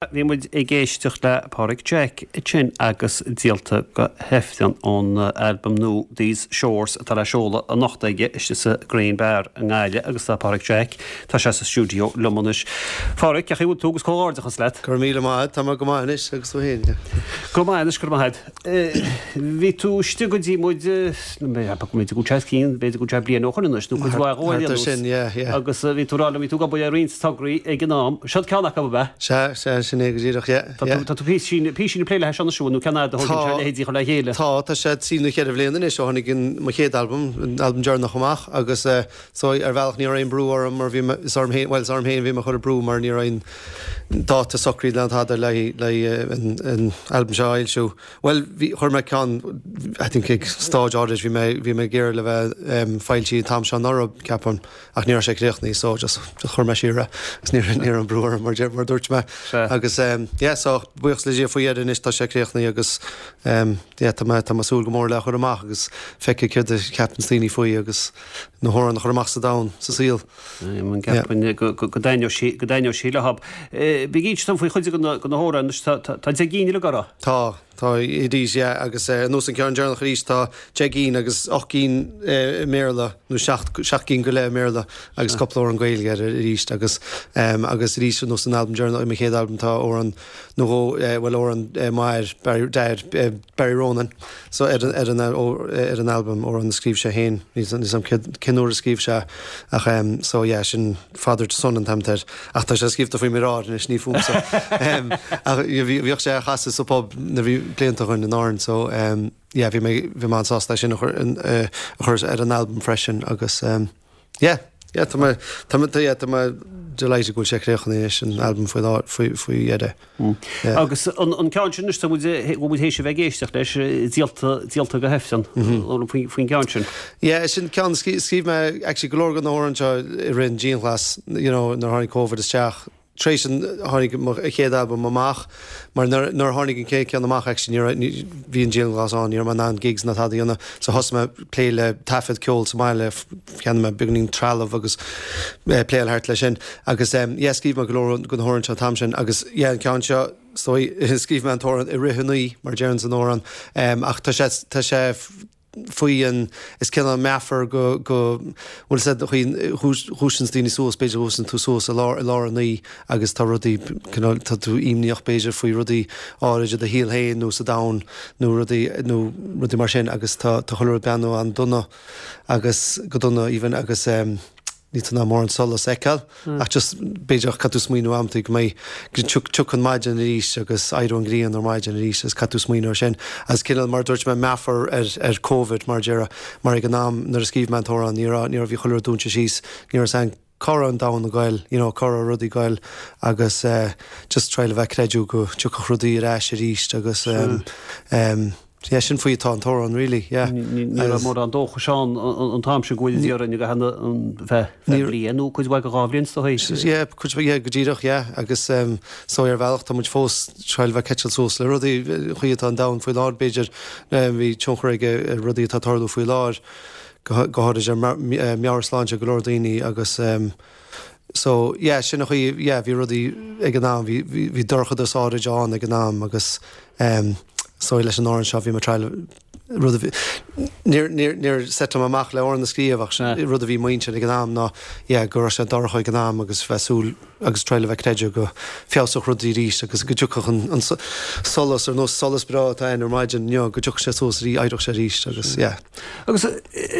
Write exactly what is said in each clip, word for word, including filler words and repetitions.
Bhí muid ag éisteacht le Páraic Jack sin agus Díolta go hIfreann ón albam nua These Shores atá le seoladh anocht aige istigh sa Green Bar i nGaillimh agus tá Páraic Jack tá sé sa stiúideo liom anois. Páraic, cén chaoi a bhfuil tú agus comhghairdeachas leat. Gur míle maith tá go maith anois agus tú féin. Go maith anois gur maith. Bhí tú istigh go dtí muid go cín b'fhéidir go bliain ó shin anois nó cuid mhaith sin agus bhí tú rá bhí tú ag obair ar roinnt tograí ag an am. Seo ceann acu ab ea? Sea sea sin é go díreach Tá tú píosa plé le seo nó ceann leithéidí chun le chéile. Tá tá sé trí nó ceithre bliana anois ó tháinig mo chéad albam an albam deireanach amach agus so ar bhealach ní raibh aon brú orm mar bhí is orm féin well is orm féin bhí mé chur brú mar ní raibh aon dáta socraithe le tada le le an albam seo a fhoilsiú. Well bhí chuir mé ceann I think ag stage áirid bhí mé bhí mé ag iarraidh le bheith foilsithe an t-am seo anuraidh ceapaim ach ní raibh sé críochnaithe so just just chuir mé siar agus ní ní raibh brú orm mar mar dúirt mé agus um, yeah, so buíochas le Dia faoi dheireadh anois tá sé críochnaithe agus um, yeah, tá mé tá mé súil go mór le chur amach agus feiceáil céard a cheapann daoine faoi agus na hamhráin a chur amach sa domhan sa saol. go dtaitneoidh sí go dtaitneoidh sí leo. Bí tom faoi chuid go na hamhráin tá deich gcinn le go Tá tá arís yeah, agus uh, nós an ceann deireanach arís tá deich gcinn agus ocht gcinn uh, Béarla nó seacht gcinn go leith Béarla agus cúpla amhrán Gaeilge arís agus um, agus arís nós an albam deireanach mo chéad albam tá amhrán nó uh, well amhrán uh, mar Barry, uh, Barry Ronan so ar ar an ar an albam amhrán a scríobh sé féin ní cén uair a scríobh sé ach um, so yeah, sin Father to Son an t-ainm air ach tá sé scríofa faoi m'athair anois ní fúmsa um, ach bhíodh sé á chasadh sa pub na bhí blianta chun in Árainn so um, yeah, bhí mé bhí mé sásta sin a chur uh, a chur ar an album freisin agus um, yeah, yeah, tá mé tá mé yeah, tá mé delighted go bhfuil sé críochnaithe an album faoi faoi faoi dheireadh. Mm. Agus an an ceann sin tá muid bhfuil théis a bheith ag éisteacht leis díolta díolta go hIfreann faoin gceann sin. Yeah, sin ceann scríobh mé actually go leor den amhrán seo i rith an dianghlasáil you know, nuair tháinig COVID isteach Tréis an tháinig a chéad albam amach mar nuair tháinig an chéad ceann amach bhí an dianghlasáil ann ní raibh na gigs ná tada ann so thosaigh mé plé le taifead ceol sa mbaile cheannaigh mé beagáinín trealamh agus eh, plé thart leis sin agus um, yes, scríobh mé go leor den amhrán seo t-am sin agus yeah, an ceann seo so scríobh mé an t-amhrán i rith an oíche mar deireann san amhrán um, ach tá sé tá sé faoi an is cineál meafar go go bhfuil sé dhúiseann daoine suas b'fhéidir dhúiseann tú suas i lár i lár an oíche agus tá rudaí tá tú imníoch b'fhéidir faoi rudaí áirid i do shaol féin nó sa domhan nó rudaí nó rudaí mar sin agus tá tá chuile rud breathnú an-dona agus go dona even agus um, ní tá mórán solas le feiceáil mm. ach just b'fhéidir caithfidh tú smaoineamh amanta go mbeidh tiocfaidh an maidin arís agus éireoidh an ghrian ar maidin arís is caithfidh tú smaoineamh sin as cineál mar dúirt mé meafar ar ar COVID mar deireadh mar ag an am nuair a scríobh mé an t-amhrán ní ní bhí chuile rud dúnta síos ní san cá an domhan ag goil you know, cá rudaí ag goil agus uh, just try le bheith creidiú go dtiocfadh rudaí ar ais arís agus um, um, Yeah, sin faoi atá an t-amhrán really yeah. Ní raibh mórán dóchais ann an t-am sin go bhfuil dhéanamh go hana bheith bliain nó cuid mhaith dhá bhliain sa thaobh. Yeah, cuid yeah, go díreach yeah, agus um, so ar bhealach tá muid fós triail bheith catch suas le rudaí chuí atá an domhan faoi láthair b'fhéidir um, bhí tionchar ag rudaí atá tarlú faoi láthair go go háirid ar meabhairshláinte go leor daoine agus um, so yeah, sin a chuí yeah, bhí rudaí ag an am bhí bhí dorchadas áirid ann ag an am agus um, so leis an amhrán seo bhí mé triail rud níor set amach le amhrán a scríobh ach rud a bhí muintir ag an am ná yeah, go raibh sé dorcha ag an am agus bheith súil agus triail bheith creidiú go bhfeabhsódh rudaí arís agus go dtiocfadh an, an solas ar nós solas breá atá ann ar maidin inniu go dtiocfadh sé suas rí éireodh sé arís agus yeah. Agus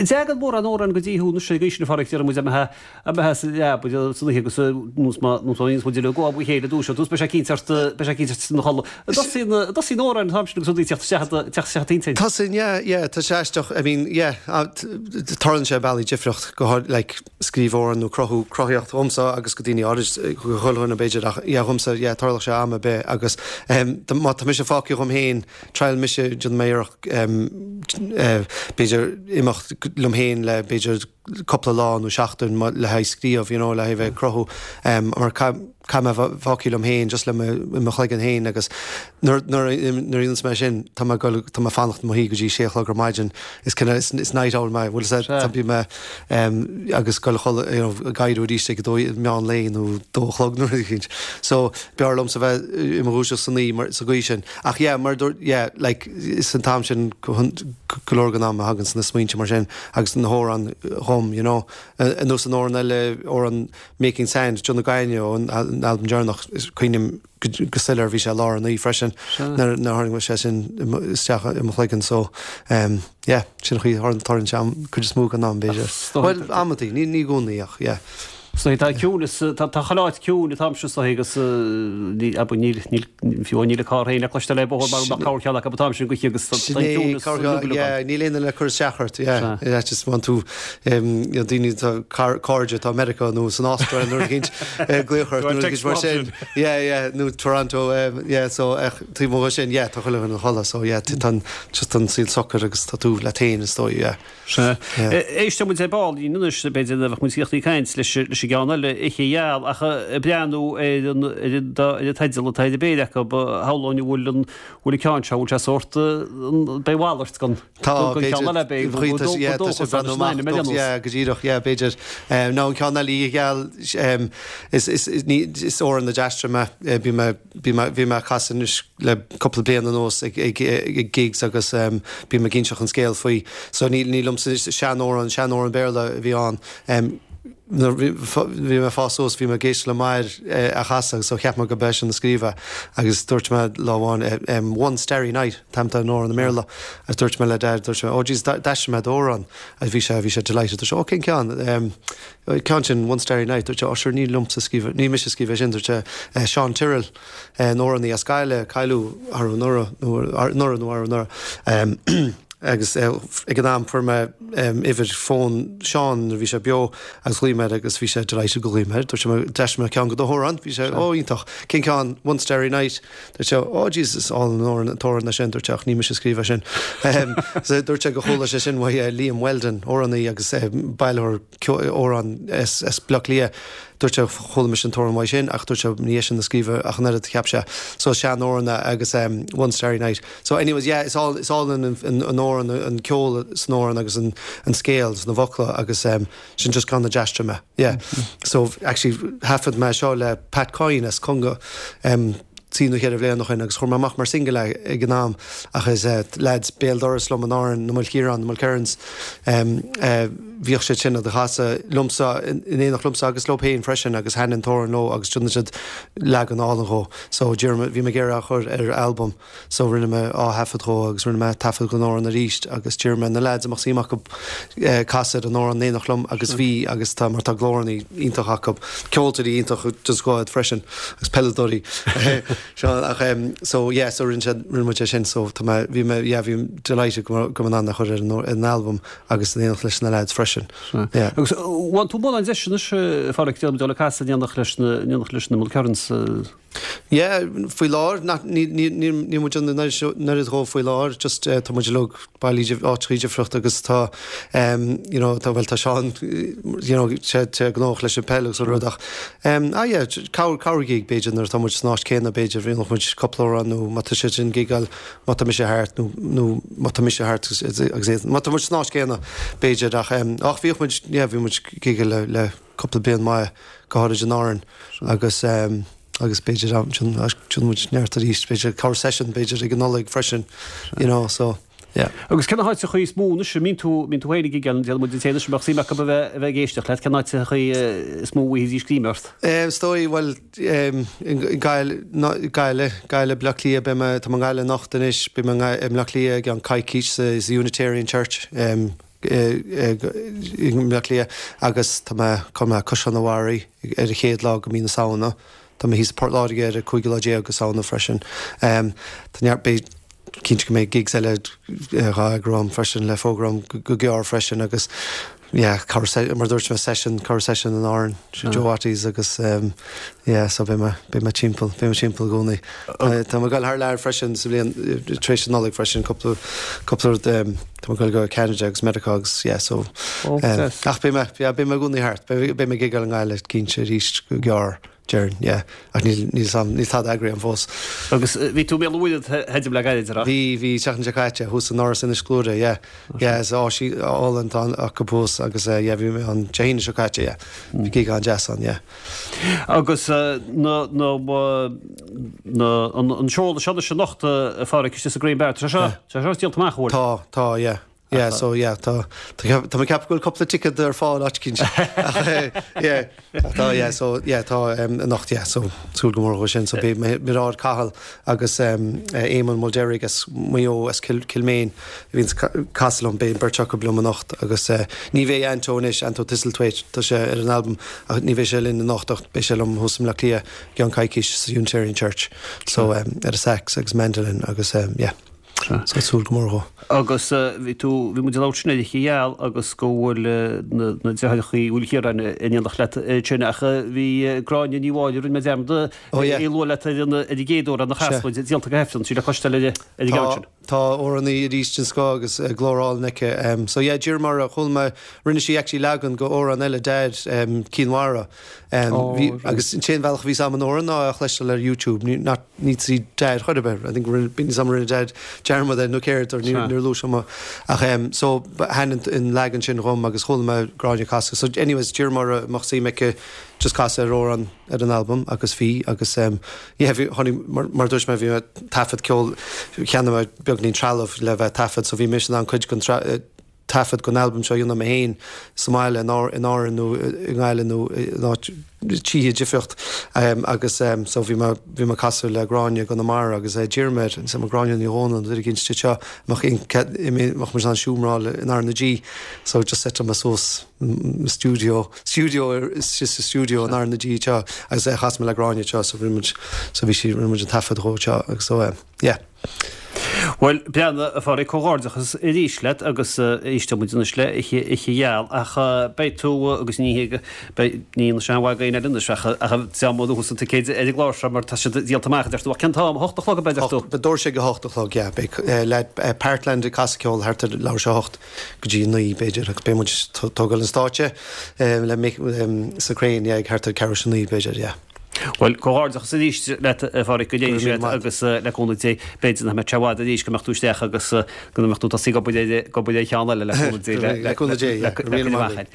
dtagann mórán amhrán go dtí thú na sé gaois na farraige ar muid amethe amethe sa leaba san oíche agus nós má nós má muid le go chéile dúis tús be sé cíntart be sé cíntart na cholla. Tosaíonn amhrán an t-am sin agus rudaí teacht teacht teacht intinn. Tosaíonn yeah, yeah, tá sé aisteach I mean yeah, tarlaíonn sé bealaí difriúil go like scríobh amhrán nó cruthú cruthaíocht dhomsa agus go daoine áirid go chuile b'fhéidir ach yeah, dhomsa yeah, tarlaíonn sé am ar bith agus um, má tá mise fágtha dhom féin triail mise déan méireach um, uh, b'fhéidir imeacht liom féin le b'fhéidir cúpla lá nó seachtain le haghaidh scríobh, you know, le haghaidh bheith ag cruthú um, mar caithfidh mé fágáil liom féin just le mo chloigeann féin agus nuair a dhéananns mé sin tá mé tá mé fanacht i mo shuí go dtí sé a chlog ar maidin is kind is, is night owl mé bhfuil sé tá bím mé um, agus goil you know, ag éirí arís ag dó meán lae nó dó a chlog nó rud éicint. So b'fhearr liomsa bheith i mo dhúiseacht san oíche mar sa gcaoi sin. Ach yeah, mar dúirt yeah, like is an t-am sin go leor den am a thagann na smaointe mar sin agus na hamhráin dhom, you know. Nós an amhrán eile amhrán Making Sand John na Gaine ón albam deireanach cuimhním go soiléir bhí sé lár an oíche freisin nuair a tháinig sé sin isteach i mo chloigeann so um, yeah, sin chuí tarlaíonn sé cuid is mó den am b'fhéidir. Well amantaí ní ní i gcónaí ach yeah. So tá ciúnas tá chuile áit ciúin an t-am seo so agus ní níl níl fiú níl carr féin le cloisteáil le bóthar mar nach carr ceann acu an t-am sin go agus tá ciúnas níl aon le cur isteach ort yeah just want to daoine tá cairde atá Meiriceá nó san Astráil nó cint glaoch ort nó mar sin yeah yeah nó Toronto yeah so taobh amuigh sin yeah tá chuile dhuine ina chodladh so yeah tá just an saol socair agus tá tú leat féin is dóigh yeah. Éisteoidh muid ar ball anois b'fhéidir a bheadh muid ag caint leis leis an gceann eile Oíche Gheal ach ag breathnú ar an ar an ar an teideal atá ar an bpéire acu shamhlóinn an bhfuil an bhfuil an ceann seo bhfuil sé sórt b'fhéidir a mhalairt den den ceann eile b'fhéidir go yeah tá sé breathnú amach yeah go díreach yeah b'fhéidir nó an ceann eile Oíche Gheal is is ní is amhrán a d'aistrigh mé bhí mé bhí mé bhí mé ag casadh anois le cúpla bliain anuas ag ag ag gigs agus bím ag inseacht an scéal faoi so ní ní liomsa seanamhrán seanamhrán Béarla a bhí ann nuair bhí mé ag fás suas bhí mé ag éisteacht le m'athair á chasadh so cheap mé go b'eisean a scríobh é agus dúirt mé lá amháin One Starry Night an t-ainm atá ar an amhrán i mBéarla agus dúirt mé le Dad dúirt mé oh jeez d'aistrigh mé d'amhrán agus bhí sé bhí sé delighted dúirt sé oh cén ceann ceann sin One Starry Night dúirt sé oh sure ní liomsa a scríobh ní mise a scríobh é sin dúirt sé Seán Tyrrell an amhránaí as Gaillimh cailleadh arú anuraidh nó anuraidh nó arú anuraidh agus ag an am fuair mé uimhir fón Seán nuair bhí sé beo agus ghlaoigh mé air agus bhí sé delighted go ghlaoigh mé air. Dúirt sé d'aistrigh mé ceann de do amhráin, bhí sé ó iontach cén ceann One Starry Night Dúirt sé oh Jesus álainn an t-amhrán é sin dúirt sé ach ní mise a scríobh é sin. So dúirt sé go chuala sé sin uaidh Liam Weldon amhránaí agus bailitheoir amhrán as as Bleá Cliath. Dúirt sé chuala mise an t-amhrán uaidh sin ach dúirt sé ní eisean a scríobh é ach an oiread cheap sé. So seanamhrán agus um, One Starry Night. So anyways, yeah, it's all it's all in an an amhrán an ceol san amhrán agus an an scéal sna focla agus um, sin just ceann a d'aistrigh mé. Yeah. Mm -hmm. So actually thaifead mé seo le Pat Coyne as Conga um, trí nó ceithre bhliain ó shin agus chuir mé amach mar single é ag an am ach is uh, lads béal dorais liom in Árainn na Mulkerrins na Mulkerrins um, uh, bhíodh siad sin á chasadh liomsa in éineacht liomsa agus leo féin freisin agus thaitin an t-amhrán leo agus rinne siad leagan álainn dhó. So bhí mé ag iarraidh é a chur ar album so rinne mé ath-thaifead dhó agus rinne mé taifead den amhrán arís agus d'iarr mé na lads a mbeadh suim acu eh, casadh an amhrán in éineacht liom agus bhí agus tá mar tá glóranna iontach acu ceoltóirí iontach just go freisin agus peileadóirí Seo ach um, so yeah so rinne siad rinne muid é sin so tá mé bhí mé yeah bhí delighted go go mbeinn in ann a chur ar an an album agus in éineacht leis na lads freisin. Yeah. Agus bhfuil tú mórán deis anois Phádraic déanamh dul ag casadh in éineacht leis na in éineacht leis na Mulkerrins. Yeah, faoi láthair níl muid an oiread dhó faoi láthair, just uh, tá muid uilig bailí áiteachaí difriúla agus tá um, you know, tá well tá Seán you know, sé sé gnóthach leis an peil agus rud ach um, ah yeah, corr corr gig b'fhéidir nuair tá muid san áit céanna b'fhéidir bhí muid cúpla amhrán nó má tá sé sin gigáil má tá mise thart nó nó má tá mise thart agus agus má tá muid san áit céanna b'fhéidir ach um, ach bhíodh muid yeah, bhí muid gigáil le le cúpla bliain maith go háirid in Árainn agus um, agus b'fhéidir sin sin muid neart arís b'fhéidir corr session b'fhéidir ag an Nollaig freisin you know so yeah. Agus cén áiteachaí is mó anois mbíonn tú mbíonn tú féin ag gigeáil déanamh muid an téana sem bheadh suim acu a bheith a bheith ag éisteacht leat cén áiteachaí is mó a bhfaighidís greim ort. Um, is dóigh well um, Gaillimh Gaillimh Gaillimh Bleá Cliath beidh mé tá mé i nGaillimh anocht anois beidh mé i mBleá Cliath i gceann coicís sa sa Unitarian Church um, i mBleá Cliath agus tá mé tá mé Caisleán an Bharraigh ar an chéad lá de mhí na Samhna. Tá mé thíos i Port Láirge ar an cúigiú lá déag de Samhna freisin. Um, tá neart beidh cinnte go mbeidh gigs eile dhá eagrú freisin le fógra go gearr freisin agus yeah, corra mar dúirt mé session corra session in Árainn Joe Watties agus um, yeah, so beidh mé beidh mé timpeall beidh mé timpeall i gcónaí. Tá mé ag dul thar lear freisin sa bhliain tar éis an Nollaig freisin cúpla cúpla rud um, tá mé ag dul go Canada agus Meiriceá agus yeah, so um, ach beidh mé yeah, beidh mé i gcónaí thart beidh beidh mé ag gigeáil i nGaillimh cinnte arís go gearr déarfainn yeah ach níl níl sam níl tada eagraithe agam fós. Agus bhí tú i mBéal an Mhuirthead theidim le gairid a rá? Bhí bhí seachtain seo caite thuas in Áras Inis Gluaire yeah yeah is áis álainn atá acu thuas agus yeah bhí mé an Dé hAoine seo caite yeah bhí gig an-deas ann yeah. Agus na na na an an seoladh seo anois anocht a Pháraic istigh sa Green Bar tá sé seo tá sé seo díolta amach an bhfuil? Tá tá yeah. Yeah, so yeah, tá tá tá mé ag ceapadh go bhfuil cúpla ticket ar fáil áit eicínt. Ach yeah, tá yeah, so yeah, tá um, anocht yeah, so súil go mór dó sin. So beidh Mairéad Cahill agus um, Eamon Mulderrig as Maigh Eo as Cill Kilmaine a bhíonns ag casadh liom, beidh an bheirt acu liom anocht agus uh, ní bheidh Anto anois, Anto Thistlethwaite, tá sé ar an album ach ní bheidh sé linn anocht ach beidh sé liom thuas i mBleá Cliath i gceann coicís sa Unitarian Church. So um, ar a sax agus mandolin agus um, yeah. So súil go mór dhó. Agus bhí tú, bhí muid ag labhairt ansin ar Oíche Gheal agus go bhfuil na na deartháireacha Uí Chiaráin in éineacht leat ansin ach bhí Gráinne Ní Mháille, rinne mé dearmad Ó yeah. í a lua leat ar an ar an gcéad uair a chas muid, díolta go hAifreann, sí le cloisteáil ar ar an gceann sin. Tá amhránaí arís den scoth agus glór álainn aici. So yeah, d'iarr mé uirthi, chuala mé, rinne sí actually leagan go amhrán eile Dad, um, Cinn Mhara. Um, oh, bhí, agus an t-aon bhealach a bhí 's a'm an amhrán ná a chloisteáil ar YouTube, ní, not, ní trí Dad chor ar bith. I think rinne, bhí 's a'm rinne Dad dearmad air nó céard or níor, níor luaigh sé mo. Ach um, so thaitin an leagan sin dhom agus chuala mé Gráinne ag casadh. So anyways, d'iarr mé uirthi an mbeadh suim aici just casadh ar amhrán ar an albam agus bhí agus um, yeah, bhí, tháinig, mar, mar dúirt mé bhí mé taifead ceol cheannaigh mé beagnín trealamh le bheith taifead so bhí mise in ann cuid den taifead den albam seo a dhéanamh mé féin sa mbaile in Árainn nó i nGaillimh nó in áit tithe difríocht agus so bhí mé bhí mé ag casadh le Gráinne i gConamara agus d'iarr mé air an Gráinne Ní Dhomhnaill an duine eicínt seo mbeadh mbeadh muid in ann seomra a fháil in R na G so just set mé suas studio studio just a studio in R na G seo agus chas mé le Gráinne seo so rinne muid so bhí sí rinne muid an taifead dhó seo agus so yeah. Bhuel, breathnaigh, a Pháraic, comhghairdeachas arís leat agus éisteoidh muid anois le Oíche Oíche Gheal ach beidh tú agus ní hé beidh ní na sean mhaith éinne anois ach ach deá mó dúchas an ticéid ar an gclár seo mar tá siad díolta amach a deir tú ach cén t-am a hocht a chlog ab ea a deir tú? Beidh doirse ag a hocht a chlog, yeah. Beidh le Parkland ag casadh ceoil thart ar leathuair tar éis a hocht go dtí a naoi b'fhéidir agus beidh muid tógáil an stáitse le Mick sa Crane, yeah, ag thart ar ceathrú tar éis a naoi b'fhéidir, yeah. Bhuel, comhghairdeachas arís leat, a Pháraic, go ndéana sé leat agus le cúnamh Dé, b'fhéidir nach mbeidh sé i bhfad arís go mbeadh tú isteach agus go mbeadh tú tosaí ag obair ar ag obair ar cheann eile le cúnamh Dé le cúnamh Dé, le cúnamh Dé, yeah.